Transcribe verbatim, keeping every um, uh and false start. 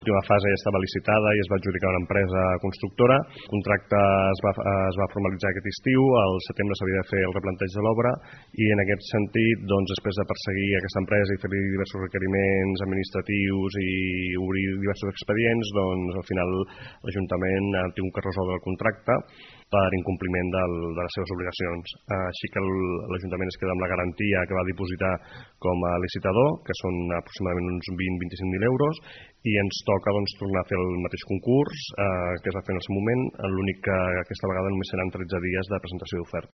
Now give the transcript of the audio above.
L'última fase ja estava licitada i es va adjudicar una empresa constructora. El contracte es va, es va formalitzar aquest estiu, al setembre s'havia de fer el replanteig de l'obra i en aquest sentit, doncs, després de perseguir aquesta empresa i fer-li diversos requeriments administratius i obrir diversos expedients, doncs al final l'Ajuntament ha tingut que resoldre el contracte per incompliment del, de les seves obligacions. Així que l'Ajuntament es queda amb la garantia que va dipositar com a licitador, que són aproximadament uns vint a vint-i-cinc mil euros, i ens toca doncs, tornar a fer el mateix concurs eh, que es va fer en el seu moment, l'únic que aquesta vegada només seran tretze dies de presentació d'oferta.